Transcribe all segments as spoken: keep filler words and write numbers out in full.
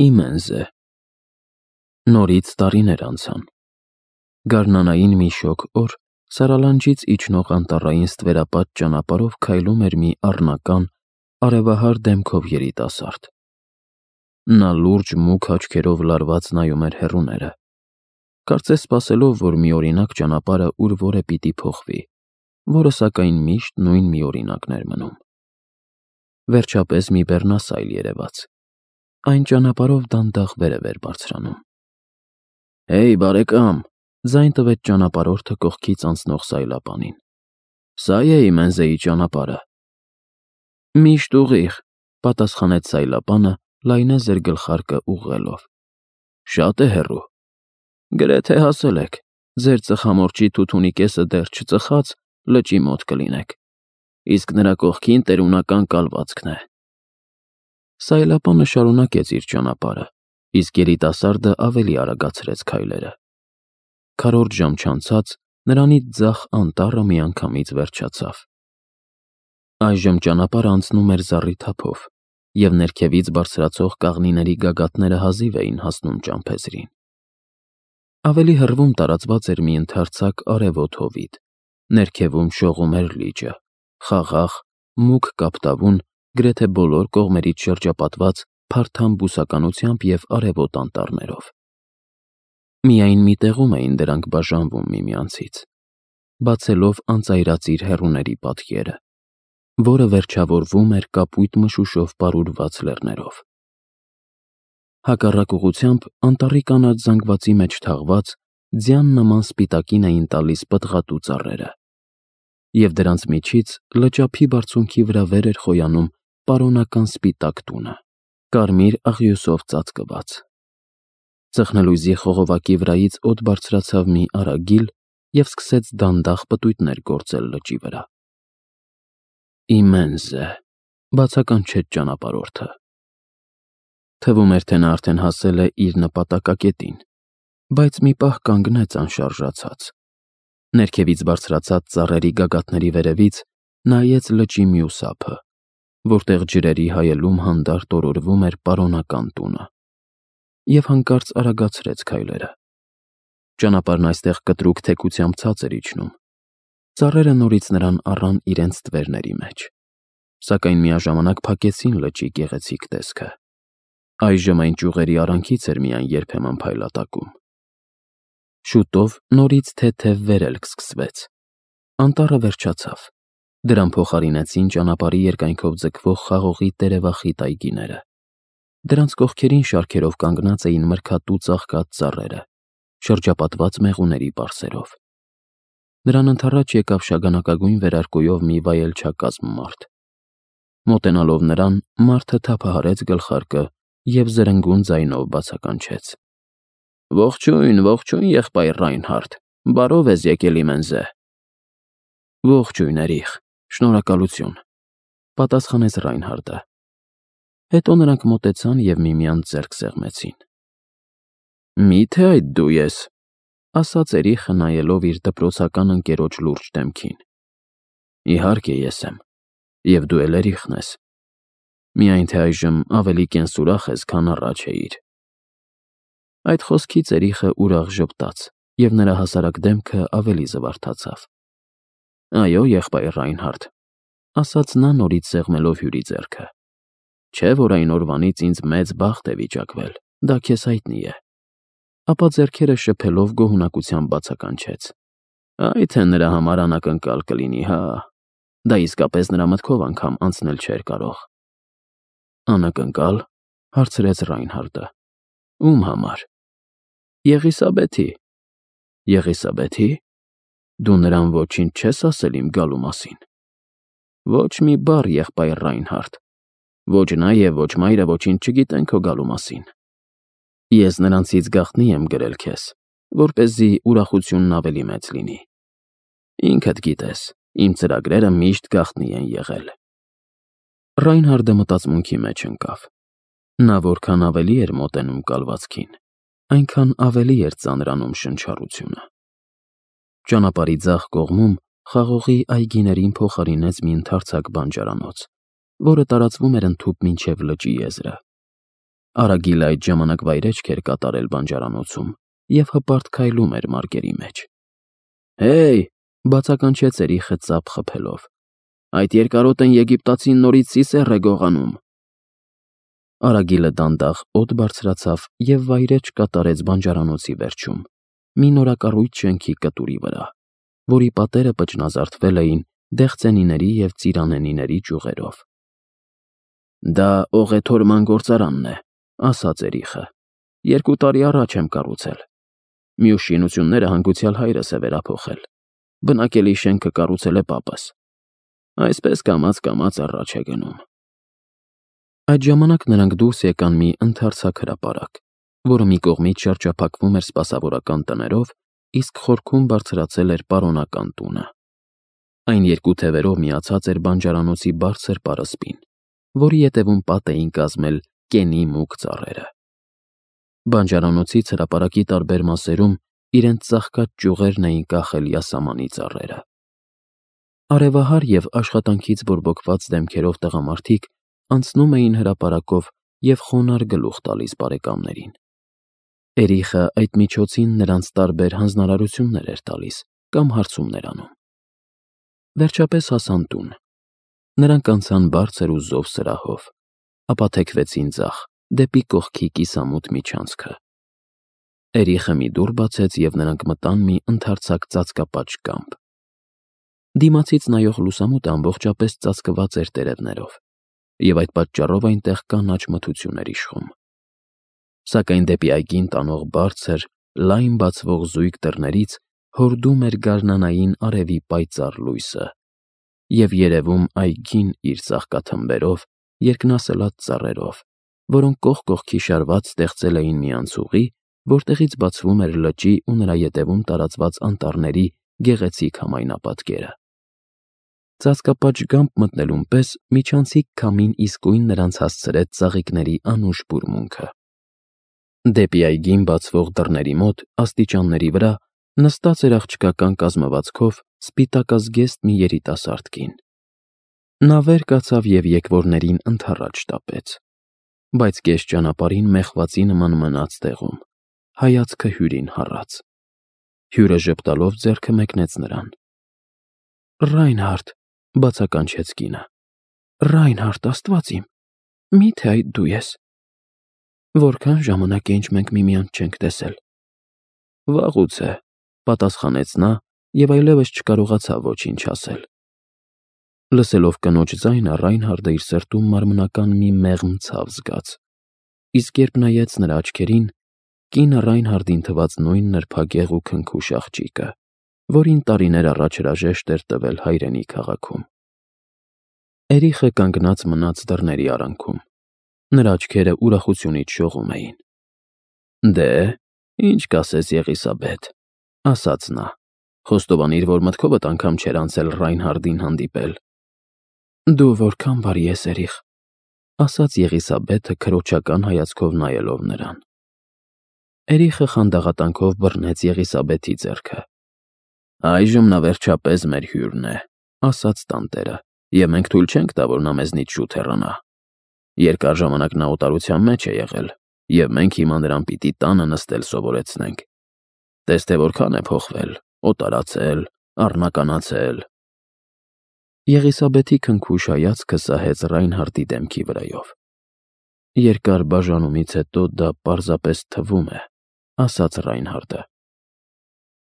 Իմենս է։ Նորից տարիներ անցան։ Գարնանային մի շոգ օր Սարալանջից իջնող անտառային ստվերապատ ճանապարհով քայլում էր մի առնական, արևահար դեմքով երիտասարդ։ Նա լուրջ մուգ աչքերով լարված նայում էր հեռուները, կարծես սպասելով, որ միօրինակ ճանապարհը ուր-որ է պիտի փոխվի, որը սակայն միշտ նույն միօրինակն էր մնում։ Վերջապես մի բեռնասայլ երևաց։ Այն ճանապարհով դանդաղ վերև էր բարձրանում։ «Հեյ, բարեկամ», ձայն տվեց ճանապարհորդը կողքից անցնող սայլապանին։ «Սա է Իմենզեի ճանապարհը»։ «Միշտ ուղիղ», պատասխանեց սայլապանը, լայնեց ձեր գլխարկը ուղղելով։ «Շատ է հեռու»։ «Գրեթե հասել եք, ձեր ծխամորճի թութունի կեսը դեռ չծխած, լճի մոտ կլինեք, իսկ նրա կողքին տերունական կալվածքն է»։ Սայլապանը շարունակեց իր ճանապարհը, իսկ երիտասարդը ավելի արագացրեց քայլերը։ Քառորդ ժամ չանցած նրանից ձախ անտառը միանգամից վերջացավ։ Այժմ ճանապարհը անցնում էր զառիթափով, և ներքևից բարձրացող կաղնիների գագաթները հազիվ էին հասնում ճամփեզրին։ Ավելի հեռվում տարածված էր մի ընդարձակ արևոտ հովիտ, ներքևում շողում էր լիճը, խաղաղ, մուգ կապտավուն, գրեթե բոլոր կողմերից շրջապատված փարթամ բուսականությամբ և արևոտ անտառներով։ Միայն մի տեղում էին դրանք բաժանվում միմյանցից, բացելով անծայրածիր հեռուների պատկերը, որը վերջավորվում էր կապույտ մշուշով պարուրված լեռներով։ Հակառակ ուղղությամբ անտառի կանաչ զանգվածի մեջ թաղված ձյան նման սպիտակին էին տալիս պտղատու ծառերը, և դրանց միջից լճափի բարձունքի վրա վեր էր խոյանում պարոնական սպիտակ տունը, կարմիր աղյուսով ծածկված։ Ծխնելույզի խողովակի վրայից օդ բարձրացավ մի արագիլ և սկսեց դանդաղ պտույտներ գործել լճի վրա։ «Իմենս է», բացականչեց ճանապարհորդը։ Թվում էր, թե նա արդեն հասել է իր նպատակակետին, բայց մի պահ կանգնեց անշարժացած։ Ներքևից բարձրացած ծառերի գագաթների վերևից նայեց լճի մյուս ափը, որտեղ ջրերի հայելում հանդարտ օրորվում էր պարոնական տունը, և հանկարծ արագացրեց քայլերը։ Ճանապարհն այստեղ կտրուկ թեքությամբ ցած էր իջնում։ Ծառերը նորից նրան առան իրենց ստվերների մեջ, սակայն միաժամանակ փակեցին լճի գեղեցիկ տեսքը։ Այժմ այն ճյուղերի արանքից էր միայն երբեմն փայլատակում։ Շուտով նորից թեթև վերելք սկսվեց։ Անտառը վերջացավ։ Դրան փոխարինեցին ճանապարհի երկայնքով ձգվող խաղողի տերևախիտ այգիները։ Դրանց կողքերին շարքերով կանգնած էին մրգատու ծաղկած ծառերը, շրջապատված մեղուների պարսերով։ Նրան ընդառաջ եկավ շագանակագույն վերարկուով մի վայելչակազմ մարդ։ Մոտենալով նրան, մարդը թափահարեց գլխարկը և զրնգուն ձայնով բացականչեց. «Ողջույն, ողջույն, եղբայր Ռայնհարդ, բարով ես եկել Իմենզե»։ «Ողջույն, երիխ, շնորհակալություն», պատասխանեց Ռայնհարդը։ Հետո նրանք մոտեցան և միմյանց ձեռք սեղմեցին։ «Մի՞թե այդ դու ես», ասաց երիխը, նայելով իր դպրոցական ընկերոջ լուրջ դեմքին։ «Իհարկե ես եմ, և դու էլ երիխն ես, միայն թե այժմ ավելի կենսուրախ ես, քան առաջ էիր»։ Այդ խոսքից երիխը ուրախ ժպտաց, և նրա հասարակ դեմքը ավելի զվարթացավ։ «Այո, եղբայր Ռայնհարդ», ասաց նա, նորից սեղմելով հյուրի ձեռքը։ «Չէ՞ որ այն օրվանից ինձ մեծ բախտ է վիճակվել, դա քեզ հայտնի է»։ Ապա ձեռքերը շփելով գոհունակությամբ բացականչեց. «Այ թե նրա համար անակնկալ կլինի, հա, դա իսկապես նրա մտքով անգամ անցնել չէր կարող»։ «Անակնկա՞լ», հարցրեց Ռայնհարդը։ «Ում համար»։ «Եղիսաբեթի»։ «Եղիսաբեթի՞։ Դու նրան ոչինչ չես ասել իմ գալու մասին»։ «Ոչ մի բառ, եղբայր Ռայնհարդ, ոչ նա և ոչ մայրը ոչինչ չգիտեն քո գալու մասին։ Ես նրանցից գաղտնի եմ գրել քեզ, որպեսզի ուրախությունն ավելի մեծ լինի։ Ինքդ գիտես, իմ ծրագրերը միշտ գաղտնի են եղել»։ Ռայնհարդը մտածմունքի մեջ ընկավ։ Նա որքան ավելի էր մոտենում կալվածքին, այնքան ավելի էր ծանրանում շնչառությունը։ Ճանապարհի ձախ կողմում խաղողի այգիներին փոխարինեց մի ընդարձակ բանջարանոց, որը տարածվում էր ընդհուպ մինչև լճի եզրը։ Արագիլը այդ ժամանակ վայրեջք էր կատարել բանջարանոցում և հպարտ քայլում էր մարգերի մեջ։ «Հեյ», բացականչեց Էրիխը ծափ խփելով, «այդ երկարոտն եգիպտացին նորից սիսեռ է գողանում»։ Արագիլը դանդաղ օդ բարձրացավ և վայրէջք կատարեց բանջարանոցի վերջում, մի նորակառույց շենքի կտուրի վրա, որի պատերը պճնազարդվել էին դեղցենիների և ծիրանենիների ճյուղերով։ «Դա օղեթորման գործարանն է», ասաց Էրիխը, «երկու տարի առաջ եմ կառուցել։ Մյուս շինությունները հանգուցյալ հայրս է վերափոխել, բնակելի շենքը կառուցել է պապս։ Այսպես կամաց-կամաց առաջ է գնում»։ Այդ ժամանակ նրանք դուրս եկան մի ընդարձակ հրապարակ, որը մի կողմից շրջափակվում էր սպասավորական տներով, իսկ խորքում բարձրացել էր պարոնական տունը։ Այն երկու թևերով միացած էր բանջարանոցի բարձր պարսպին, որի ետևում պատ էին կազմել կենի մուգ ծառերը։ Բանջարանոցից հրապարակի տարբեր մասերում իրենց ծաղկած ճյուղերն էին կախել յասամանի ծառերը։ Արևահար և աշխատանքից բորբոքված դեմքերով տղամարդիկ անցնում էին հրապարակով և խոնարհ գլուխ տալիս բարեկամներին։ Էրիխը այդ միջոցին նրանց տարբեր հանձնարարություններ էր տալիս կամ հարցումներ անում։ Վերջապես հասան տուն։ Նրանք անցան բարձր ու զով սրահով, ապա թեքվեցին ձախ, դեպի կողքի կիսամութ միջանցքը։ Էրիխը մի դուռ բացեց, և նրանք մտան մի ընդարձակ ծածկապատ կամբ։ Դիմացից նայող լուսամուտը ամբողջապես ծածկված էր տերևներով, և այդ պատճառով այնտեղ կանաչ մթություն էր իշխում։ Սակայն դեպի այգին տանող բարձր, լայն բացվող զույգ դռներից հորդում էր գարնանային արևի պայծառ լույսը, և երևում այգին իր ծաղկաթմբերով, երկնասլաց ծառերով, որոնք կողք կողքի շարված ստեղծել էին մի անցուղի, որտեղից բացվում էր լճի ու նրա ետևում տարածված անտառների գեղեցիկ համայնապատկերը։ Ծածկապատ մտնելուն պես միջանցիկ քամին իսկույն նրանց հասցրեց ծաղիկների անուշ բուրմունքը։ Դեպի այգին բացվող դռների մոտ, աստիճանների վրա, նստած էր աղջկական կազմվածքով սպիտակազգեստ մի երիտասարդ կին։ Նա վեր կացավ և եկվորներին ընդառաջ շտապեց, բայց կես ճանապարհին մեխվածի նման մնաց տեղում, հայացքը հյուրին հառած։ Հյուրը ժպտալով ձեռքը մեկնեց նրան։ «Ռայնհարդ», բացականչեց կինը, «Ռայնհարդ, Աստված իմ, մի՞թե այդ դու ես։ Որքան ժամանակ է, ինչ մենք միմյանց չենք տեսել»։ «Վաղուց է», պատասխանեց նա և այլևս չկարողացավ ոչինչ ասել։ Լսելով կնոջ ձայնը, Ռայնհարդը իր սրտում մարմնական մի մեղմ ցավ զգաց, իսկ երբ նայեց նրա աչքերին, կինը Ռայնհարդին թվաց նույն նրբագեղ ու քնքուշ աղջիկը, որին տարիներ առաջ հրաժեշտ էր տվել հայրենի քաղաքում։ Էրիխը կանգնած մնաց դռների արանքում։ Նրա աչքերը ուրախությունից շողում էին։ «Դե, ինչ կասես, Եղիսաբեթ», ասաց նա, «խոստովանիր, որ մտքովդ անգամ չէր անցել Ռայնհարդին հանդիպել»։ «Դու որքան բարի ես, Էրիխ», ասաց Եղիսաբեթը քրոջական հայացքով նայելով նրան։ Էրիխը խանդաղատանքով բռնեց Եղիսաբեթի ձեռքը։ «Այժմ նա վերջապես մեր հյուրն է», ասաց տանտերը, «և մենք թույլ չենք տա, որ նա մեզնից շուտ հեռանա։ Երկար ժամանակ նա օտարության մեջ է եղել, և մենք հիմա նրան պիտի տանը նստել սովորեցնենք։ Տես թե որքան է փոխվել, օտարացել, առնականացել»։ Եղիսաբեթի քնքուշ հայացքը սահեց Ռայնհարդի դեմքի վրայով։ «Երկար բաժանումից հետո դա պարզապես թվում է», ասաց Ռայնհարդը։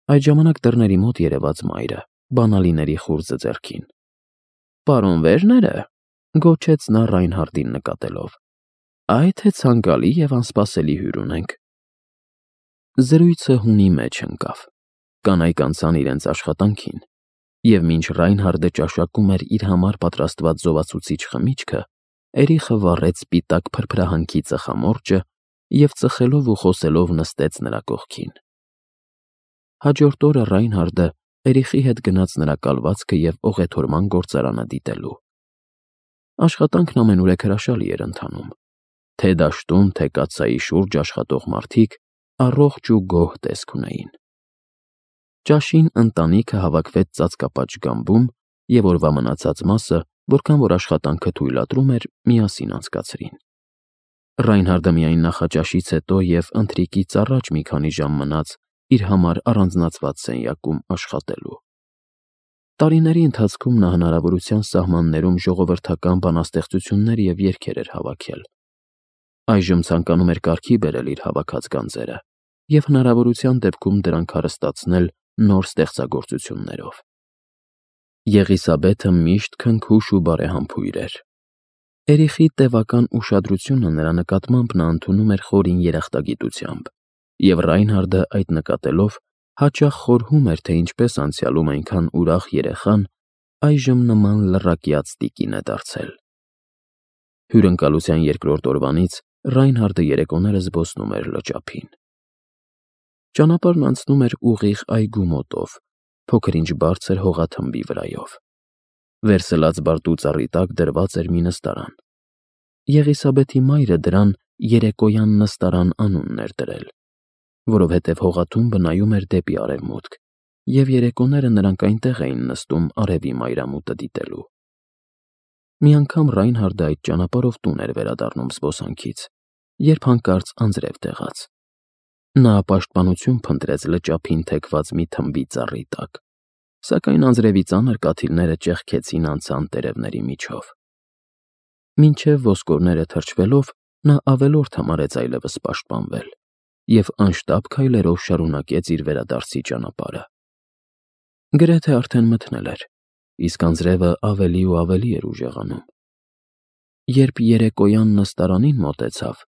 Այդ ժամանակ դռների մոտ երևաց մայրը, բանալիների խուրձը ձեռքին։ «Պարոն Վեժները», գոչեց նա Ռայնհարդին նկատելով, «այ թե ցանկալի և անսպասելի հյուր ունենք»։ Զրույցը հունի մեջ ընկավ։ Կանայք անցան իրենց աշխատանքին, և մինչ Ռայնհարդը ճաշակում էր իր համար պատրաստված զովացուցիչ խմիչքը, Էրիխը վառեց սպիտակ փրփրահանքի ծխամորճը և ծխելով ու խոսելով նստեց նրա կողքին։ Հաջորդ օրը Ռայնհարդը Էրիխի հետ գնաց նրա կալվածքը և օղեթորման գործարանը դիտելու։ Աշխատանքն ամենուրեք հրաշալի էր ընթանում։ Թե դաշտում, թե կաթսայի շուրջ աշխատող մարդիկ առողջ ու գոհ տեսք ունեին։ Ճաշին ընտանիքը հավաքվեց ծածկապատ գամբում և օրվա մնացած մասը, որքան որ աշխատանքը թույլատրում էր, միասին անցկացրին։ Ռայնհարդը միայն նախաճաշից հետո և ընթրիքից առաջ մի քանի ժամ մնաց իր համար առանձնացված սենյակում աշխատելու։ Տարիների ընթացքում նա հնարավորության սահմաններում ժողովրդական բանաստեղծություններ և երգեր էր հավաքել։ Այժմ ցանկանում էր կարգի բերել իր հավաքած գանձերը և հնարավորության դեպքում դրանք հարստացնել նոր ստեղծագործություններով։ Եղիսաբեթը միշտ քնքուշ ու բարեհամբույր էր։ Էրիխի տևական ուշադրությունը նրա նկատմամբ նա ընդունում էր խորին երախտագիտությամբ, և Ռայնհարդը այդ նկատելով հաճախ խորհում էր, թե ինչպես անցյալում այնքան ուրախ երեխան այժմ նման լռակյաց տիկին է դարձել։ Հյուրընկալության երկրորդ օրվանից Ռայնհարդը երեկոները զբոսնում էր լճափին։ Ճանապարհն անցնում էր ուղիղ այգու մոտով, փոքր-ինչ բարձր հողաթմբի վրայով։ Վերսլած բարդու ծառի տակ դրված էր մի նստարան։ Եղիսաբեթի մայրը դրան երեկոյան նստարան անունն էր դրել, որովհետև հողաթումբը նայում էր դեպի արևմուտք, և երեկոները նրանք այնտեղ էին նստում արևի մայրամուտը դիտելու։ Մի անգամ Ռայնհարդը այդ ճանապարհով տուն էր վերադառնում զբոսանքից, երբ հանկարծ անձրև տեղաց։ Նա պաշտպանություն փնտրեց լճափին թեքված մի թմբի ծառի տակ, սակայն անձրևի ծանր կաթիլները ճեղքեցին անցան տերևների միջով։ Մինչև ոսկորները թրջվելով նա ավելորդ համարեց այլևս պաշտպանվել և անշտապ քայլերով շարունակեց իր վերադարձի ճանապարհը։ Գրեթե արդեն մթնել էր, իսկ անձրևը ավելի ու ավելի էր ուժեղանում։ Երբ երեկոյան նստարանին մոտեցավ,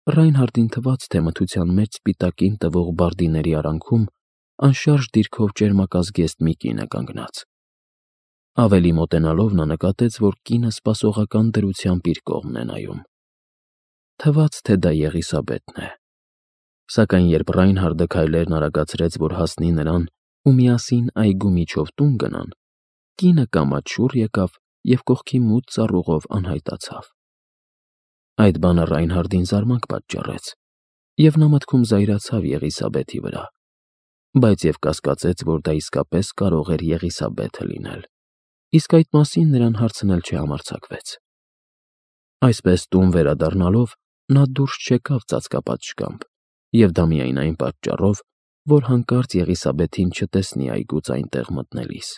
Ռայնհարդին թվաց, թե մթության մեջ սպիտակին տվող բարդիների արանքում անշարժ դիրքով ճերմակազգեստ մի կին է կանգնած։ Ավելի մոտենալով նա նկատեց, որ կինը սպասողական դրությամբ իր կողմն է նայում։ Թվաց, թե դա Եղիսաբեթն է։ Սակայն երբ Ռայնհարդը քայլերն արագացրեց, որ հասնի նրան ու միասին այգու միջով տուն գնան, կինը կամաց շուռ եկավ և կողքի մութ ծառուղով անհայտացավ։ Այդ բանը Ռայնհարդին զարմանք պատճառեց, և նա մտքում զայրացավ Եղիսաբեթի վրա, բայց և կասկածեց, որ դա իսկապես կարող էր Եղիսաբեթը լինել, իսկ այդ մասին նրան հարցնել չհամարձակվեց։ Այսպես տուն վերադառնալով նա դուրս չեկավ ծածկապատ շկամբ և դա միայն այն պատճառով, որ հանկարծ Եղիսաբեթին չտեսնի այգուց այնտեղ մտնելիս։